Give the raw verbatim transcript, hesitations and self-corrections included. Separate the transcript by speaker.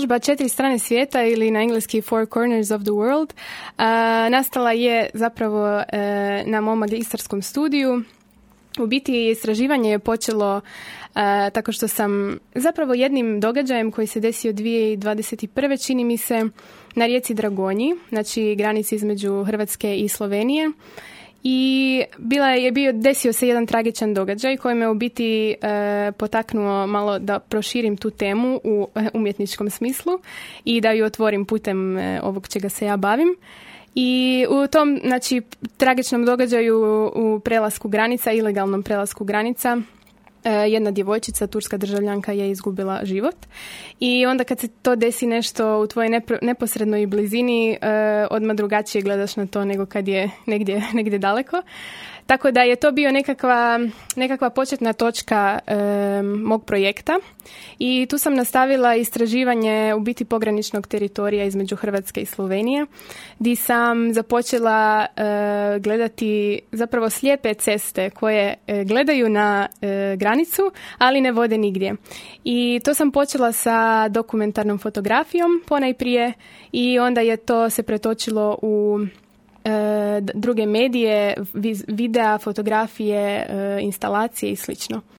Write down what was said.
Speaker 1: izložba Četiri strane svijeta ili na engleski Four Corners of the World uh, nastala je zapravo uh, na mom magistarskom studiju. U biti istraživanje je počelo uh, tako što sam zapravo jednim događajem koji se desio dvije tisuće dvadeset prve čini mi se na rijeci Dragonji, znači granici između Hrvatske i Slovenije. I bila je bio, desio se jedan tragičan događaj koji me u biti e, potaknuo malo da proširim tu temu u umjetničkom smislu i da ju otvorim putem e, ovog čega se ja bavim. I u tom, znači, tragičnom događaju u prelasku granica, ilegalnom prelasku granica, jedna djevojčica, turska državljanka, je izgubila život. I onda kad se to desi nešto u tvojoj nepro, neposrednoj blizini, eh, odmah drugačije gledaš na to nego kad je negdje, negdje daleko. Tako da je to bio nekakva, nekakva početna točka e, mog projekta i tu sam nastavila istraživanje u biti pograničnog teritorija između Hrvatske i Slovenije, gdje sam započela e, gledati zapravo slijepe ceste koje e, gledaju na e, granicu, ali ne vode nigdje. I to sam počela sa dokumentarnom fotografijom ponajprije i onda je to se pretočilo u druge medije, videa, fotografije, instalacije i slično.